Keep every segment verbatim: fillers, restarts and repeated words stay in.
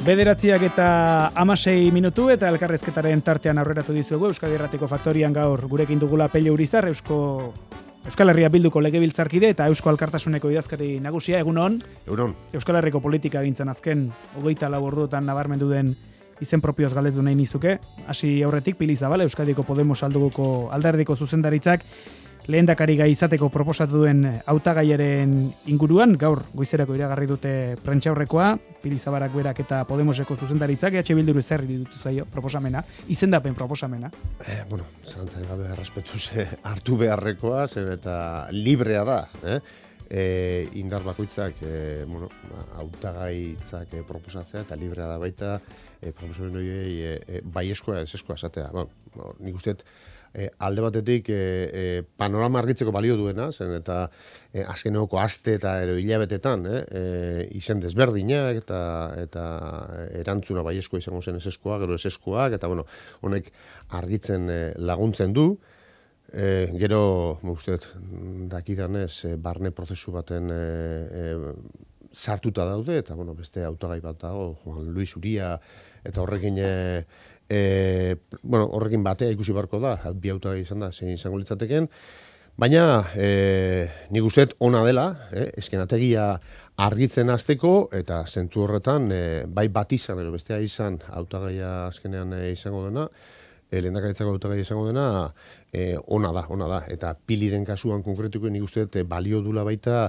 Bederatziak eta hamasei minutu eta elkarrezketaren tartean aurreratu dizuegu Euskadi Irratiko Faktorian gaur gurekin dugula Pello Urizar, Eusko Euskal Herria Bilduko legebiltzarkide eta Eusko Alkartasuneko idazkari nagusia. Egunon. Egunon. Euskal Herriko politika gintzen azken hogeita lau orduotan nabarmendu den izen propioaz galdetu nahi nizuke. Hasi aurretik Pili Zabala, Euskadiko Podemos alduguko alderdiko zuzendaritzak lehendakari gai izateko proposatu duen hautagaiaren inguruan, gaur goizerako iragarri dute prentsaurrekoa, Pili Zabalak berak eta Podemoseko zuzendaritzak, E H Bilduru zer ditu zaio proposamena, izendapen proposamena. Eh, bueno, zantzai gabe errespetuz hartu beharrekoa, zer eta librea da, eh? E, indar bakoitzak e, bueno, hautagaitzak e, proposatzea eta librea da baita e, proposamen horiei e, e, baieskoa ez eskoa esatea. Bueno, no, nik usteet E, alde batetik e, e, panorama argitzeko balio duena, zen eta e, azkeneko aste eta ero hilabetetan e, e, izen desberdinak eta, eta erantzuna baieskoa izango zen eseskoa, gero eseskoak, eta bueno, honek argitzen e, laguntzen du. E, gero, usteet, dakidanez, e, barne prozesu baten e, e, sartuta daude, eta bueno, beste hautagai bat dago, Juan Luis Uria, eta horrekin e, E, bueno, horrekin batea ikusi barko da, bi hautagai izan da, zein izango litzateken, baina e, nik usteet ona dela, eh, eskenategia argitzen hasteko eta zentzu horretan e, bai bat izan, ero bestea izan hautagaia azkenean e, izango dena, e, lehendakaritzako hautagaia izango dena, e, ona da, ona da, eta Piliren kasuan konkretuko nik usteet e, balio dula baita,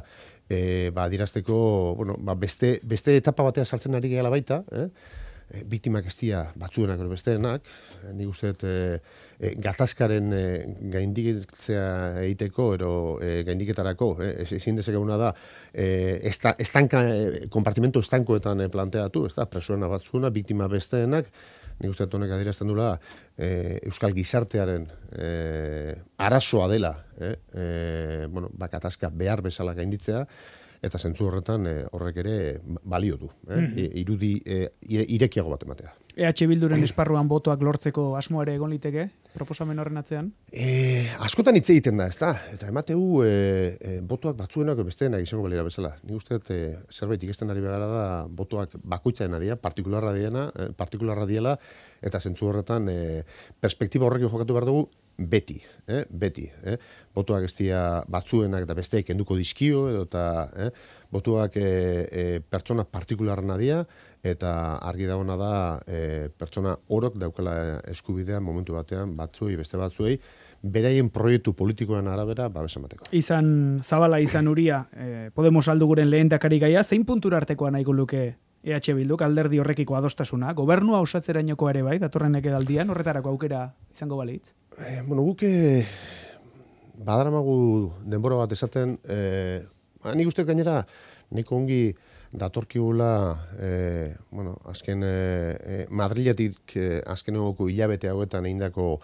e, ba, dirazteko, bueno, ba, beste, beste etapa batea sartzen ari gehala baita, eh, E, biktimak ez dira batzuenak edo besteenak, e, nik uste dut e, e, gatazkaren e, gainditzea egiteko ero e, gaindiketarako, e, ezin dezakeguna da e, esta, estanka, e, kompartimento estankoetan e, planteatu, ez da, presoena batzuena, biktima besteenak, nik uste dut honek adierazten dula e, Euskal gizartearen e, arazoa dela, e, e, bueno, ba, gatazka behar bezala gainditzea, eta zentzu horretan e, horrek ere balio du, eh? mm-hmm. irudi e, irekiago bat ematea. E H Bilduren esparruan botoak lortzeko asmoa ere egon liteke, proposamen horren atzean? E, askotan hitz egiten da, ez da? Eta emateu e, e, botoak batzuenak besteenak izango balira bezala. Nik uste dut e, zerbait ikesten ari begara da botoak bakoitzaena dira, partikularra diena, e, partikularra diela, eta zentzu horretan e, perspektiba horrekin jokatu behar dugu, beti, eh? beti. Eh? Botuak ez dira batzuenak eta besteek kenduko dizkio, edo eta eh? botuak e, e, pertsona partikularna dira, eta argi dagoena da e, pertsona orok daukala eskubidea momentu batean batzuei, beste batzuei, beraien proiektu politikoen arabera babes emateko. Izan Zabala, izan Uria, eh, Podemos alduguren lehendakari gaia, zein puntura artekoa nahiko luke E H Bilduk, alderdi horrekiko adostasuna, gobernua osatzerainoko ere bai, datorren ekedaldian, horretarako aukera izango balitz? Eh, bueno, guk eh, badaramagu denbora bat esaten, eh, nik uste gainera, nik ongi datorkigula, eh, bueno, azken eh, Madriletik eh, azken egoko hilabete hauetan egindako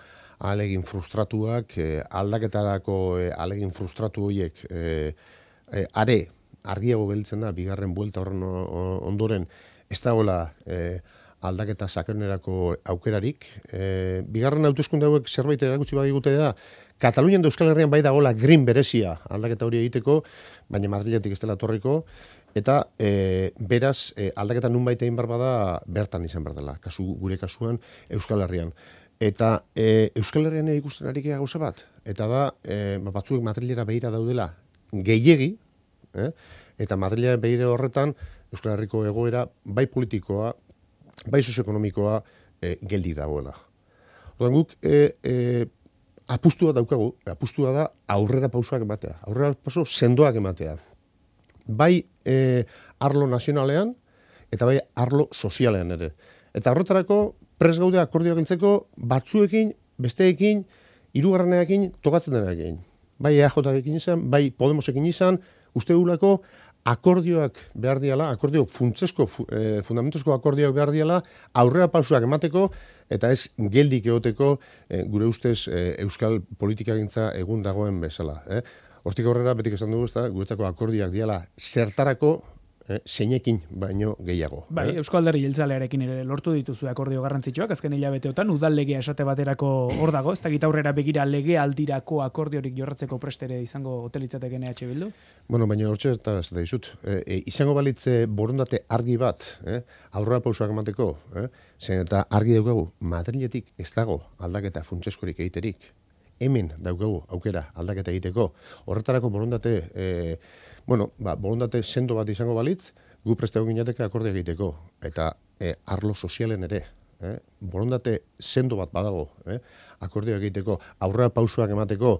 ahalegin frustratuak, eh, aldaketarako eh, ahalegin frustratu horiek eh, eh, are, argiago gelditzen da, bigarren buelta horren ondoren, ez dagoela eh, aldaketa sakonerako aukerarik. E, bigarren hauteskunde hauek zerbait erakutsi badigute da, Katalunian da Euskal Herrian bai dagoela green berezia aldaketa hori egiteko, baina Madriletik ez dela torriko, eta e, beraz e, aldaketa nunbait egin behar bada bertan izan behar dela, kasu, gure kasuan Euskal Herrian. Eta e, Euskal Herrian ikusten ari gauza bat, eta da e, batzuek Madrilera behira daudela gehiegi, eh? Eta Madrilera behire horretan Euskal Herriko egoera bai politikoa, bai sozioekonomikoa e, geldi dagoela. Orduan guk e, e, apustua daukagu, apustua da aurrera pausoak ematea, aurrera pauso sendoak ematea. Bai e, arlo nazionalean eta bai arlo sozialean ere. Eta horretarako prest gaude akordioak gintzeko batzuekin, besteekin, hirugarrenekin tokatzen denarekin. Bai E J ekin izan, bai Podemosekin izan, uste gulako akordioak behar diala, akordio funtzesko, eh, fundamentuzko akordioak behar diala, aurrera pausoak emateko, eta ez geldik egoteko eh, gure ustez eh, euskal politikagintza egun dagoen bezala. Eh? Hortik aurrera, betik esan dugu, ezta, guretzako akordioak diala zertarako, eh, zeinekin baino gehiago. Bai, eh? Eusko Alderdi Jeltzalearekin ere lortu dituzu akordio garrantzitsuak, azken hilabeteotan udal legea esate baterako hor dago, ez dakit aurrera begira lege aldirako akordiorik jorratzeko prestere izango hotelitzatekeen E H Bildu? Bueno, baina hortxe eta ez da izut. E, e, izango balitze borondate argi bat, eh? aurrera pausoak emateko, eh? zen eta argi daukagu, Madriletik ez dago aldaketa funtseskorik egiterik. Hemen daukagu aukera aldaketa egiteko. Horretarako borondate, e, bueno, ba, borondate sendo bat izango balitz, gu preste egon ginateke akordia egiteko. Eta e, arlo sozialen ere, eh? borondate sendo bat badago, eh? akordia egiteko, aurrera pausoak emateko,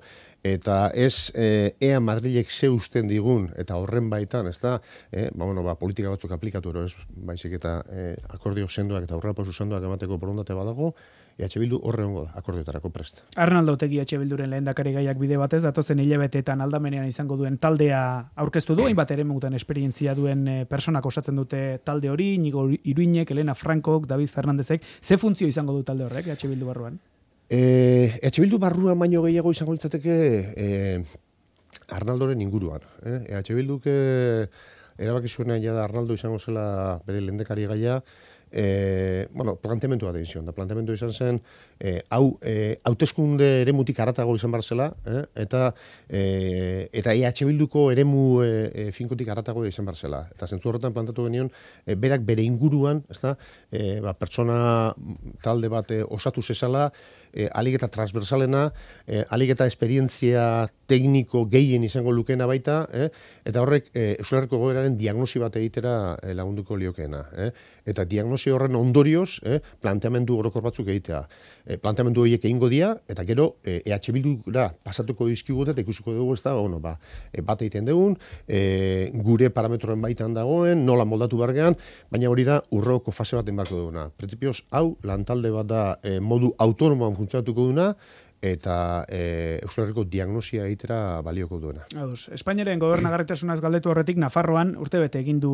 eta ez e, ea Madrilek ze usten digun, eta horren baitan, ez da, e, ba, bueno, ba, politika batzuk aplikatu ero, ez, baizik eta e, akordio sendoak eta aurrera pauso sendoak emateko borondate badago, E H Bildu horre hongo da, akordioetarako prest. Arnaldo Otegi E H Bilduren lehendakari gaiak bide batez, datozen hilabeteetan aldamenean izango duen taldea aurkeztu du, hainbat ere mutan esperientzia duen e, personak osatzen dute talde hori, Inigo Iruinek, Elena Frankok, David Fernandezek, ze funtzio izango du talde horrek E H Bildu barruan? E, E H Bildu barruan baino gehiago izango litzateke e, Arnaldoren inguruan. Eh? E H Bilduk e, erabaki zuenean ja da Arnaldo izango zela bere lehendakari gaia, E, bueno, planteamendu bat egin zion, da planteamendu izan zen, e, hau, e, hauteskunde eremutik aratago izan bar zela, eh? eta, e, eta E H Bilduko eremu e, finkotik aratago izan bar zela. Eta zentzu horretan plantatu genion, e, berak bere inguruan, ezta, e, ba, pertsona talde bat e, osatu zezala, e, alik eta transversalena, e, alik eta esperientzia tekniko gehien izango lukena baita, eh? eta horrek e, Euskal Herriko goberaren diagnosi bat egitera e, lagunduko liokeena. Eh? Eta diagnosi horren ondorioz, eh, planteamendu orokor batzuk egitea. E, planteamendu horiek egingo dira, eta gero e, EH Bildura pasatuko dizkigute, eta ikusiko dugu ez da, bueno, ba, e, bat egiten dugun, e, gure parametroen baitan dagoen, nola moldatu bargean, baina hori da urroko fase bat enbarko duguna. Principios, hau, lantalde bat da e, modu autonomoan funtzionatuko duna, eta e, Euskal Herriko diagnosia egitera balioko duena. Ados, Espainiaren gobernagarritasunaz galdetu horretik, Nafarroan urtebete egin du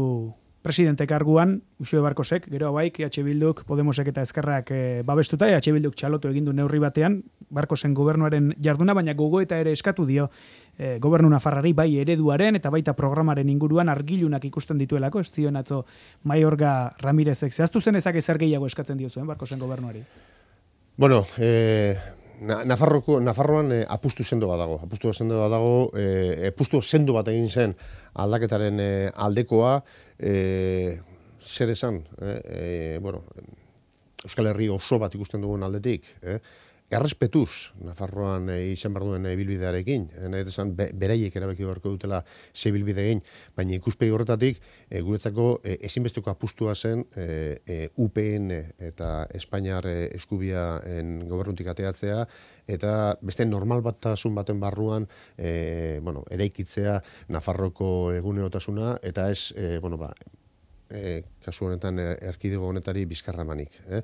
presidente karguan, Uxue Barkosek, gero hauaik, E H Bilduk, Podemosek eta Ezkerrak e, babestuta, E H Bilduk txalotu egin du neurri batean, Barkosen gobernuaren jarduna, baina gogoeta ere eskatu dio e, gobernu Nafarrari bai ereduaren eta baita programaren inguruan argilunak ikusten dituelako, ez zion atzo Maiorga Ramirezek. Zehaztu zen ezak ezer gehiago eskatzen dio zuen Barkosen gobernuari? Bueno, eh... Na, Nafarroko, Nafarroan e, apustu sendo bat dago. Apustu sendo bat dago, e, apustu sendo bat egin zen aldaketaren e, aldekoa, e, zer esan, e, e, bueno, Euskal Herri oso bat ikusten dugun aldetik, eh? Errespetuz, Nafarroan e, izan behar duen e, bilbidearekin, e, nahi esan be, beraiek erabaki beharko dutela ze bilbide egin, baina ikuspegi horretatik e, guretzako e, ezinbesteko apustua zen e, e, U P N eta Espainiar e, eskubiaen gobernutik ateatzea, eta beste normal batasun baten barruan e, bueno, eraikitzea Nafarroko egunerotasuna, eta ez, e, bueno, ba, e, kasu honetan erkidego honetari bizkarramanik, eh?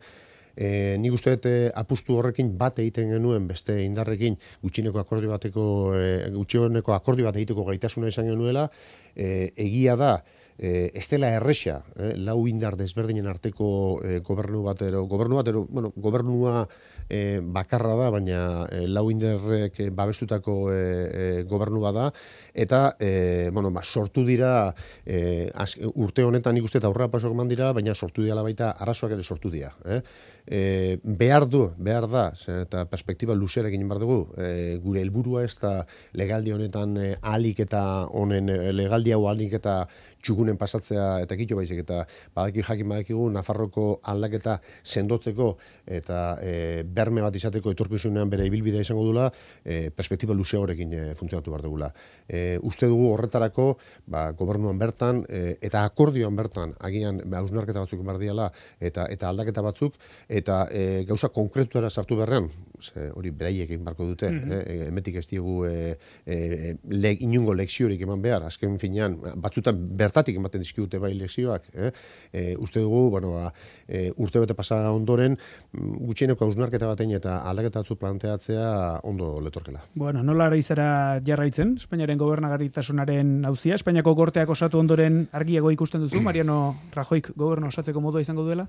E, nik uste dut apustu horrekin bat egiten genuen beste indarrekin gutxineko akordio bateko e, gutxineko akordio bat egiteko gaitasuna izan genuela, e, egia da e, ez dela erresa, e, lau indar desberdinen arteko e, gobernu batero, gobernu batero, bueno, gobernua e, bakarra da, baina e, lau indarrek e, babestutako e, e, gobernu bada, eta e, bueno, ba, sortu dira e, az, urte honetan nik uste eta aurrera pasok eman dira, baina sortu dira baita arazoak ere sortu dira, eh? E, behar du, behar da, eta perspektiba luzerekin egin behar dugu, e, gure helburua ez da legaldi honetan e, ahalik eta honen e, legaldi hau ahalik eta txugunen pasatzea eta kito baizik, eta badaki jakin badakigu Nafarroko aldaketa sendotzeko eta e, berme bat izateko etorkizunean bere ibilbidea izango dula, e, perspektiba luze horrekin e, funtzionatu behar dugula. E, uste dugu horretarako, ba, gobernuan bertan e, eta akordioan bertan agian ba, hausnarketa batzuk behar diala eta, eta aldaketa batzuk, eta e, gauza konkretuara sartu berrean, ze, hori beraiek egin barko dute, mm-hmm. eh, emetik ez diegu e, e, le, inungo lekziorik eman behar, azken finean, batzutan bertatik ematen dizkigute bai lekzioak, eh? E, uste dugu, bueno, ba, e, urte bete pasada ondoren, gutxieneko hausnarketa batein eta aldaketa batzuk planteatzea ondo letorkela. Bueno, nola izara jarraitzen, Espainiaren gobernagarritasunaren auzia, Espainiako gorteak osatu ondoren argiago ikusten duzu, Mariano Rajoyk gobernu osatzeko modua izango duela?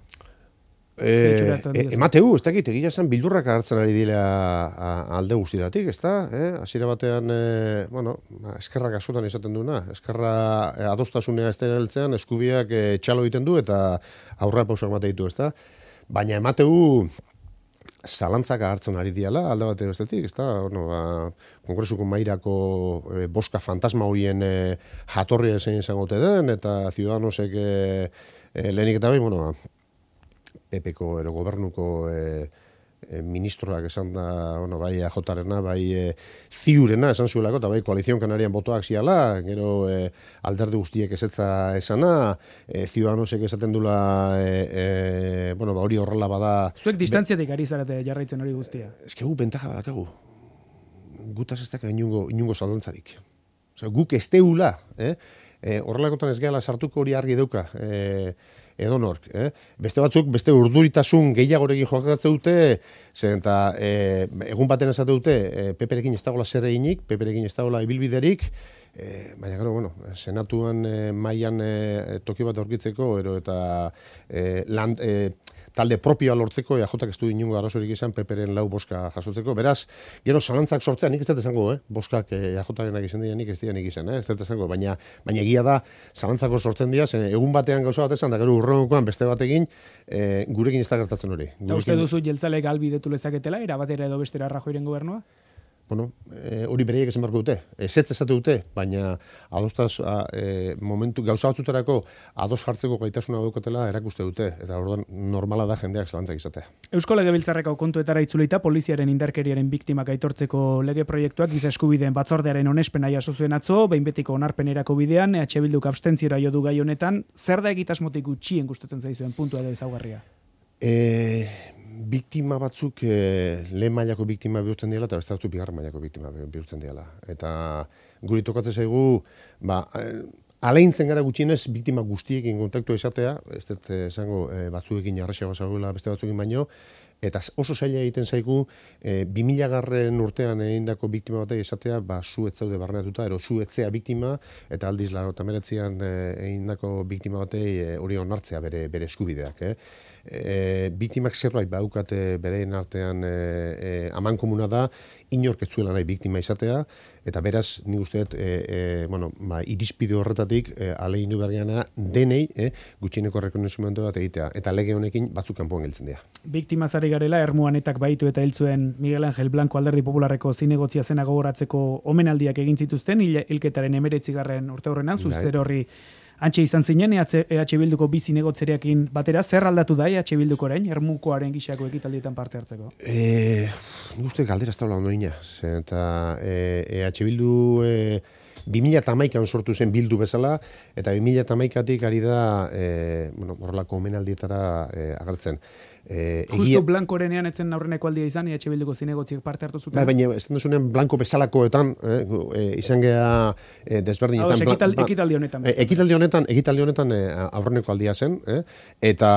E, e, emateu, ez dakit, egia esan bildurrak hartzen ari dira alde guztietatik, ez da? Eh? Hasiera batean, e, bueno, eskerrak askotan izaten duena, eskerra e, adostasunea ez dira heltzean, eskubiak e, txalo egiten du eta aurra pausak mate ditu, ez da? Baina emateu zalantzak hartzen ari diala, alde bateo bestetik, ez da? Bueno, ba, Kongresuko mairako e, boska fantasma hoien e, jatorria zein izango ote den, eta Ciudadanosek e, e, lehenik eta behin, bueno, P P-ko ero gobernuko e, e, ministroak esan da, bueno, bai A J-rena, bai e, ziurena esan zuelako, eta bai koalizion kanarian botoak ziala, gero e, alderdi guztiek ezetza esana, e, Ciudadanosek esaten dula, e, e, bueno, ba, hori horrela bada... Zuek distantziatik ari zarete jarraitzen hori guztia. Ez que gu bentaja badakagu. Gutaz ez daka inungo, inungo zalantzarik. Osea, guk ez teula, eh? E, horrelakotan ez gehala sartuko hori argi dauka, eh? Edo nork, eh? Beste batzuk, beste urduritasun gehiagorekin jokatzen dute, zen eta e, egun baten esate dute, e, Peperekin ez dagoela zer eginik, Peperekin ez dagoela ibilbiderik, e, baina gero, bueno, senatuan e, mailan e, toki bat aurkitzeko, ero eta e, land, e, talde propioa lortzeko, E A Jak ez du inungo arazorik izan, Peperen lau boska jasotzeko. Beraz, gero zalantzak sortzean, nik ez dut esango, eh? Boskak E A Jarenak izan dira, nik ez dira nik izan, eh? Ez dut esango, baina, baina egia da, zalantzako sortzen dira, zen egun batean gauza bat esan, da gero urrengokoan beste batekin, e, gurekin ez da gertatzen hori. Eta uste duzu jeltzalek albidetu lezaketela, erabatera edo bestera Rajoyren gobernua? Bueno, e, hori bereiek esan beharko dute, ezetz esate dute, baina adostaz, a, e, momentu, gauza batzuterako ados jartzeko gaitasuna daukatela erakuste dute, eta orduan normala da jendeak zalantzak izatea. Eusko Legebiltzarreko kontuetara itzulita poliziaren indarkeriaren biktimak aitortzeko lege proiektuak giza eskubideen batzordearen onespena jaso zuen atzo, behin betiko onarpenerako bidean, E H Bilduk abstentziora jo du gai honetan, zer da egitasmotik gutxien gustatzen zaizuen puntua edo ezaugarria? E, biktima batzuk e, lehen mailako biktima bihurtzen diela eta beste batzuk bigarren mailako biktima bihurtzen diela. Eta guri tokatzen zaigu, ba, aleintzen gara gutxienez biktima guztiekin kontaktua izatea, ez dut esango e, batzuekin jarraxagoa zagoela beste batzuekin baino, eta oso zaila egiten zaigu e, bi mila garren urtean egindako biktima batek esatea, ba, zu ez zaude barneratuta, ero zu etzea biktima, eta aldiz laurogeita hemeretzian e, egindako biktima batei hori e, onartzea bere, bere eskubideak, eh? E, biktimak zerbait baukate bereien artean e, e, aman komuna da, inork ez zuela nahi biktima izatea, eta beraz, nik usteet, e, e, bueno, ba, irizpide horretatik e, alegin du bergeana denei e, gutxieneko rekonozimendu bat egitea, eta lege honekin batzuk kanpoan geltzen dira. Biktimazari garela, Ermuanetak baitu eta hiltzuen Miguel Angel Blanco Alderdi Popularreko zinegotzia zena gogoratzeko omenaldiak egin zituzten, hilketaren emeretzigarren urte horrenan, zuzer horri antxe izan zinen, E H Bilduko bi zinegotzerekin batera, zer aldatu da E H Bilduko orain, Ermukoaren gixako ekitaldietan parte hartzeko? E, nik uste galdera ez taula ondoina, eta E H Bildu e, bi mila hamaikan sortu zen Bildu bezala, eta bi mila hamaikatik ari da e, bueno, horrelako omenaldietara e, agertzen. E, Justo egia... Blankorenean etzen aurreneko aldia izan, E H Bilduko zinegotziek parte hartu zuten. Ba, baina ez duzunean Blanko bezalakoetan, eh, e, izan geha e, desberdinetan. Hau, ekital, ekitaldi honetan. E, ekitaldi honetan, ekitaldi honetan e, aurreneko aldia zen, eh? eta,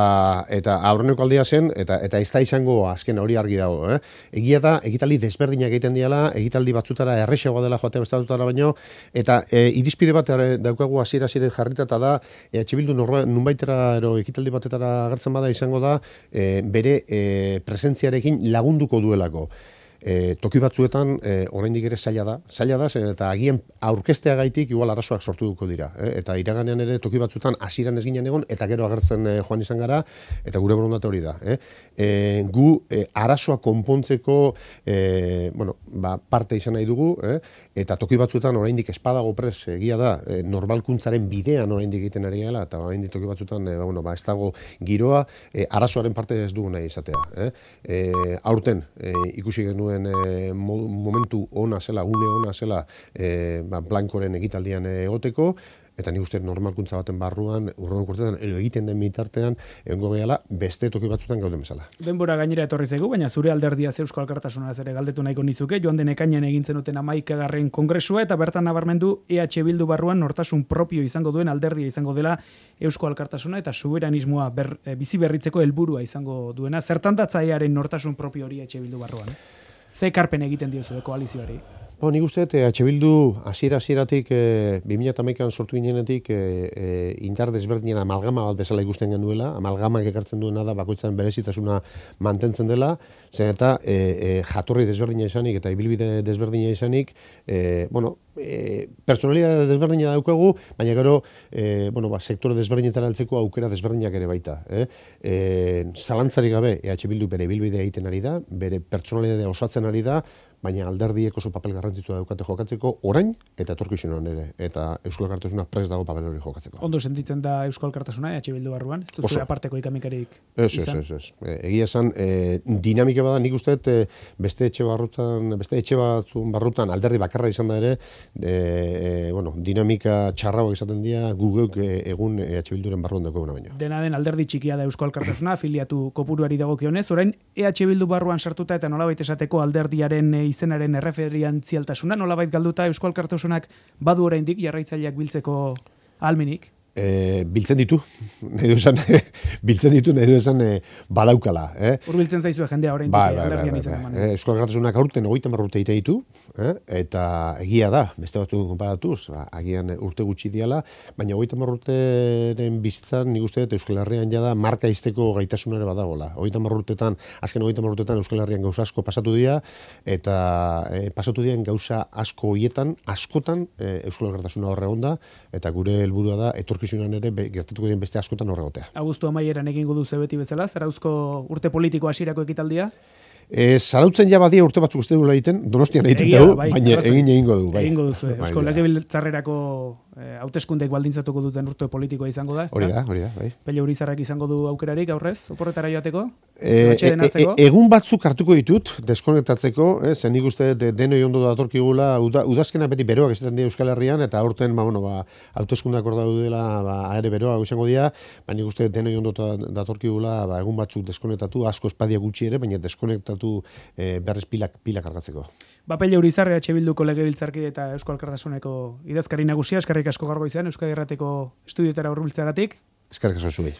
eta aurreneko aldia zen, eta, eta ez da izango azken hori argi dago. Eh? Egia da, ekitaldi desberdinak egiten diala, ekitaldi batzutara errexagoa dela joatea bestatutara baino, eta e, irizpide bat daukagu hasiera hasiera jarrita, eta da, E H Bildu nunbaitera ero ekitaldi batetara agertzen bada izango da, e, bere e, presentziarekin lagunduko duelako. E, toki batzuetan e, oraindik ere zaila da, zaila da, zen, eta agian aurkesteagaitik igual arazoak sortu duko dira. E, eta iraganean ere toki batzuetan hasieran ez ginen egon, eta gero agertzen e, joan izan gara, eta gure borondate hori da. E, e, gu e, arazoa konpontzeko e, bueno, ba, parte izan nahi dugu, e, eta toki batzuetan oraindik espadago pres egia da, e, normalkuntzaren bidean oraindik egiten ari gela, eta oraindik toki batzuetan e, ba, bueno, ba, ez dago giroa, e, arazoaren parte ez dugu nahi izatea. E, e, aurten e, ikusi genuen E, momentu ona zela, une ona zela e, ba, Blankoren ekitaldian egoteko, eta ni uste normalkuntza baten barruan, urrengo urtetan, egiten den bitartean, egongo gehala, beste toki batzutan gauden bezala. Denbora gainera etorri zaigu, baina zure alderdia Eusko Alkartasunaz ere galdetu nahiko nizuke, joan den ekainean egin zenuten hamaikagarren kongresua, eta bertan nabarmendu E H Bildu barruan nortasun propio izango duen alderdia izango dela Eusko Alkartasuna, eta soberanismoa ber, e, bizi berritzeko helburua izango duena. Zertan datzaiaren nortasun propio hori E H Bildu barruan? Ze ekarpen egiten diozu koalizioari? Bo, nik uste, E H Bildu hasiera-hasieratik e, bi mila hamaikan sortu ginenetik e, e, indar desberdinen amalgama bat bezala ikusten genuela, amalgamak ekartzen duena da bakoitzaren berezitasuna mantentzen dela, zen eta e, e, jatorri desberdina izanik eta ibilbide desberdina izanik, e, bueno, e, personalidade desberdina daukagu, baina gero, e, bueno, ba, sektore desberdinetara heltzeko aukera desberdinak ere baita. Eh? E, zalantzarik gabe, E H Bildu bere ibilbidea egiten ari da, bere personalidadea osatzen ari da, baina alderdiek oso papel garrantzitsua daukate jokatzeko orain eta etorkizunean ere. Eta Euskal Alkartasuna prest dago papel hori jokatzeko. Ondo sentitzen da Euskal Alkartasuna, E H Bildu barruan? Ez duzu aparteko ikamikarik izan? Ez, ez, ez. E, egia esan, e, dinamika bada nik uste e, beste etxe barrutan, beste etxe batzun barrutan alderdi bakarra izan da ere, e, e, bueno, dinamika txarragoak izaten dira guguk e, egun E H Bilduren barruan daukaguna baino. Dena den alderdi txikia da Euskal Alkartasuna, afiliatu kopuruari dagokionez, orain E H Bildu barruan sartuta eta nolabait esateko alderdiaren e, izenaren erreferentzialtasuna, nolabait galduta Euskal Alkartasunak badu oraindik jarraitzaileak biltzeko ahalmenik? E, biltzen ditu, nahi du esan, biltzen ditu, nahi du esan e, badaukala. Eh? Urbiltzen zaizue jendea oraindik ba, ba, alderdian ba, izan ba, eman. Eh, Euskal Alkartasunak aurten hogeita hamar urte egiten ditu, eh? Eta egia da, beste batzu konparatuz, ba, agian urte gutxi diala, baina hogeita hamar urteren bizitzan, nik uste dut Euskal Herrian jada marka izteko gaitasun ere badagola. hogeita hamar urtetan, azken hogeita hamar urtetan Euskal Herrian gauza asko pasatu dira, eta e, pasatu diren gauza asko hoietan, askotan e, Euskal Alkartasuna horre onda, eta gure helburua da etorkizunan ere be, gertatuko den beste askotan horregotea. Abuztu amaieran egingo du beti bezala, Zarauzko urte politiko hasierako ekitaldia? E, zarautzen ja badia urte batzuk uste duela egiten, Donostian egiten dugu, bai, baina egin egingo du. Bai. Egingo duzu, Eusko Legebiltzarrerako eh, hauteskundek baldintzatuko duten urte politikoa izango da, ez hori da? Hori da, bai. Pele Urizarrak izango du aukerarik aurrez, oporretara joateko? E, e, e, egun batzuk hartuko ditut, deskonektatzeko, eh, zen nik uste de, denoi ondo datorkigula, uda, udazkena beti beroak izaten dira Euskal Herrian, eta aurten, ba, bueno, ba, hauteskundak hor daudela, ba, ere beroak izango dira, baina nik uste denoi ondo datorkigula, ba, egun batzuk deskonektatu, asko espadia gutxi ere, baina deskonektatu e, berriz pilak, pilak argatzeko. Ba, Pele Urizar, E H Bilduko legebiltzarkide eta Euskal Alkartasuneko idazkari nagusia, eskerrik asko gaurgo izan, Euskadi Irrateko estudioetara hurbiltzeagatik. Eskerrik asko zuei.